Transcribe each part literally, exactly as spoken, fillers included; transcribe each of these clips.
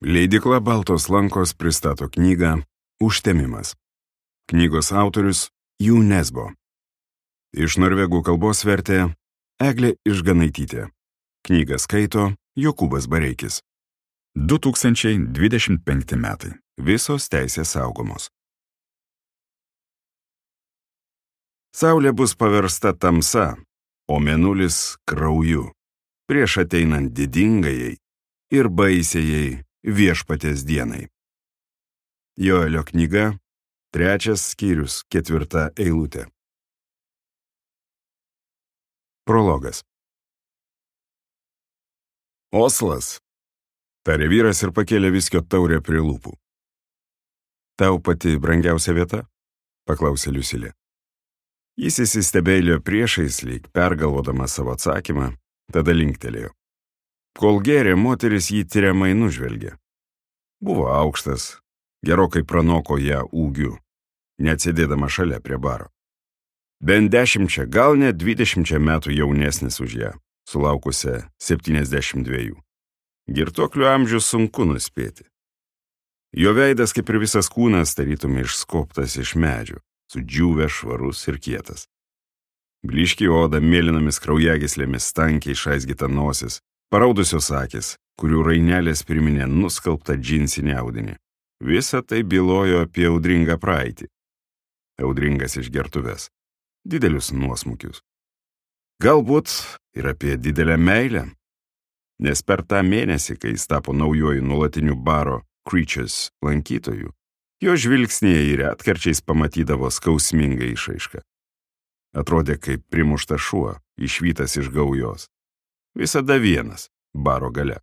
Leidykla Baltos lankos pristato knygą Užtemimas. Knygos autorius Jų Nesbo. Iš norvegų kalbos vertė Eglė Išganaitytė. Knygą skaito Jokūbas Bareikis. du tūkstančiai dvidešimt penkti metai. Visos teisės saugomos. Saulė bus paversta tamsa, o mėnulis krauju, prieš ateinant didingajai ir baisiajai viešpaties dienai. Joelio knyga, trečias skyrius, ketvirta eilutė. Prologas. Oslas, tarė vyras ir pakėlė viskio taurę prie lūpų. Tau pati brangiausia vieta? Paklausė Liusilė. Jis įsistebėjo priešais, lyg pergalvodamas savo atsakymą, tada linktelėjo. Kol gėrė, moteris jį tiriamai nužvelgė. Buvo aukštas, gerokai pranoko ją ūgiu, neatsėdėdama šalia prie baro. Bent dešimčia, gal net dvidešimčia metų jaunesnis už ją, sulaukusią septyniasdešimt dviejų. Girtuoklių amžius sunku nuspėti. Jo veidas, kaip ir visas kūnas, tarytum išskobtas iš medžio, sudžiūvęs, švarus ir kietas. Blyški oda, mėlynomis kraujagyslėmis, tankiai išaizgyta nosis, paraudusios akis, kurių rainelės priminė nuskalbtą džinsinį audinį. Visa tai bylojo apie audringą praeitį. Audringas išgertuves, didelius nuosmukius. Galbūt ir apie didelę meilę, nes per tą mėnesį, kai jis tapo naujoju nuolatiniu baro Creatures lankytoju, jo žvilgsnėje ir retkarčiais pamatydavo skausmingą išraišką. Atrodė kaip primuštas šuo, išvytas iš gaujos. Visada vienas, baro gale.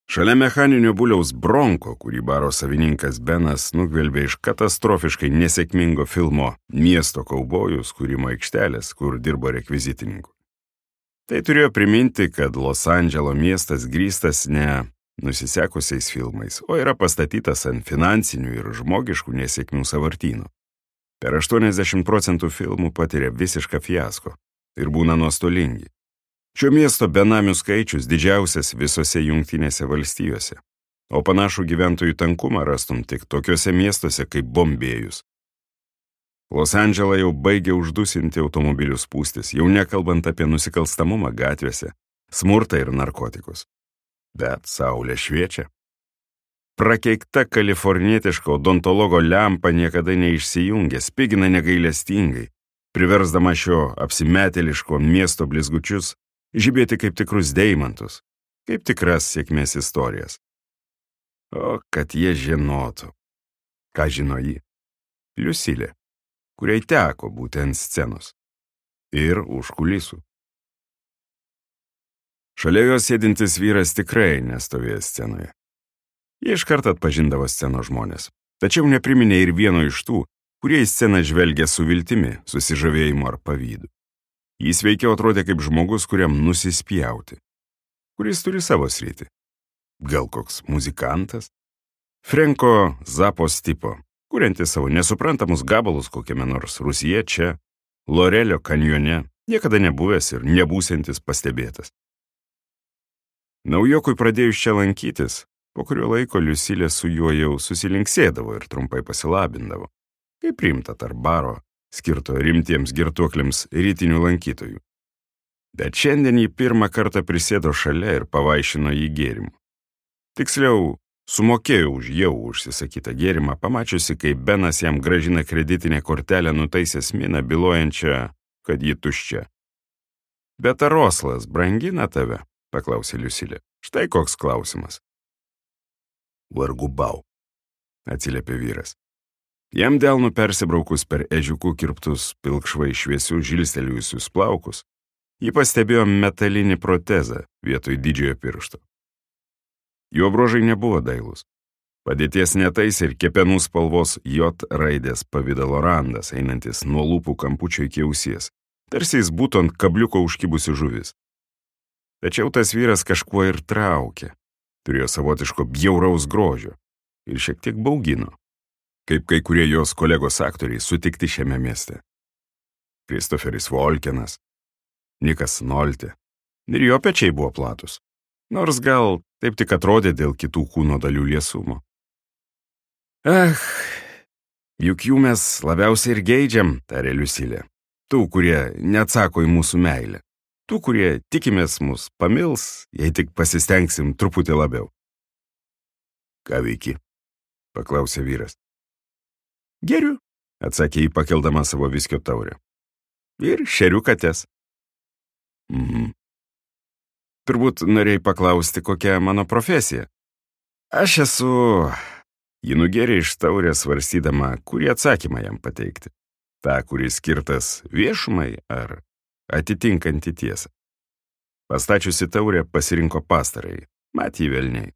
Šalia mechaninio buliaus Bronko, kurį baro savininkas Benas nugvelbė iš katastrofiškai nesėkmingo filmo Miesto kaubojus kūrimo aikštelės, kur dirbo rekvizitininku. Tai turėjo priminti, kad Los Andželo miestas grįstas ne nusisekusiais filmais, o yra pastatytas ant finansinių ir žmogiškų nesėkmių sąvartynų. Per aštuoniasdešimt procentų filmų patiria visišką fiasko ir būna nuostolingi. Šio miesto benamių skaičius didžiausias visose Jungtinėse valstijose, o panašų gyventojų tankumą rastum tik tokiuose miestuose kaip Bombėjus. Los Andželą jau baigė uždusinti automobilių spūstis, jau nekalbant apie nusikalstamumą gatvėse, smurtą ir narkotikus. Bet saulė šviečia. Prakeikta kalifornietiška odontologo lempa niekada neišsijungia, spigina negailestingai, priversdama šio apsimetėliško miesto blizgučius žibėti kaip tikrus deimantus, kaip tikras sėkmės istorijas. O kad jie žinotų. Ką žino ji? Liusilė, kuriai teko būti ant scenos. Ir už kulisų. Šalia jos sėdintis vyras tikrai nestovėjo scenoje. Jie iškart atpažindavo scenos žmonės, tačiau nepriminė ir vieno iš tų, kurie į sceną žvelgia su viltimi, susižavėjimu ar pavydu. Jis veikiau atrodė kaip žmogus, kuriam nusispjauti, kuris turi savo sritį. Gal koks muzikantas? Frenko Zapos tipo, kuriantis savo nesuprantamus gabalus kokiame nors Rūsyje čia, Lorelio kanjone, niekada nebuvęs ir nebūsiantis pastebėtas. Naujokui pradėjus čia lankytis, po kurio laiko Liusilė su juo jau susilinksėdavo ir trumpai pasilabindavo, kaip priimta tarp baro, skirto rimtiems girtuokliams rytinių lankytojų. Bet šiandien jį pirmą kartą prisėdo šalia ir pavaišino jį gėrimu. Tiksliau, sumokėjo už jau užsisakytą gėrimą, pamačiusi, kaip Benas jam grąžina kreditinę kortelę nutaisęs miną, bylojančią, kad ji tuščia. Bet ar Oslas brangina tave? Paklausė Liusilė. Štai koks klausimas. Vargu bau, atsiliepė vyras. Jam delnu persibraukus per ežiukų kirptus pilkšvai šviesių žilstelėjusius plaukus, ji pastebėjo metalinį protezą vietoj didžiojo piršto. Jo bruožai nebuvo dailūs. Padėties netais ir kepenų spalvos J raidės pavidalo randas, einantis nuo lūpų kampučio iki ausies, tarsi jis būtų ant kabliuko užkibusi žuvis. Tačiau tas vyras kažkuo ir traukė, turėjo savotiško bjauraus grožio ir šiek tiek baugino, kaip kai kurie jos kolegos aktoriai sutikti šiame mieste. Kristoferis Volkenas, Nikas Nolte, ir jo pečiai buvo platus. Nors gal taip tik atrodė dėl kitų kūno dalių liesumo. Ach, juk jų mes labiausiai ir geidžiam, tarė Liusilė. Tų, kurie neatsako į mūsų meilę. Tų, kurie tikimės mus pamils, jei tik pasistengsim truputį labiau. Ką veiki? Paklausė vyras. Geriu, atsakė jį pakeldama savo viskio taurę. Ir šeriu kates. Mhm. Turbūt norėjai paklausti, kokia mano profesija. Aš esu... Ji nugėrė iš taurės svarstydama, kurį atsakymą jam pateikti. Ta, kuris skirtas viešumai ar atitinkantį tiesą. Pastačiusi taurę pasirinko pastarąjį, mat jį velniai.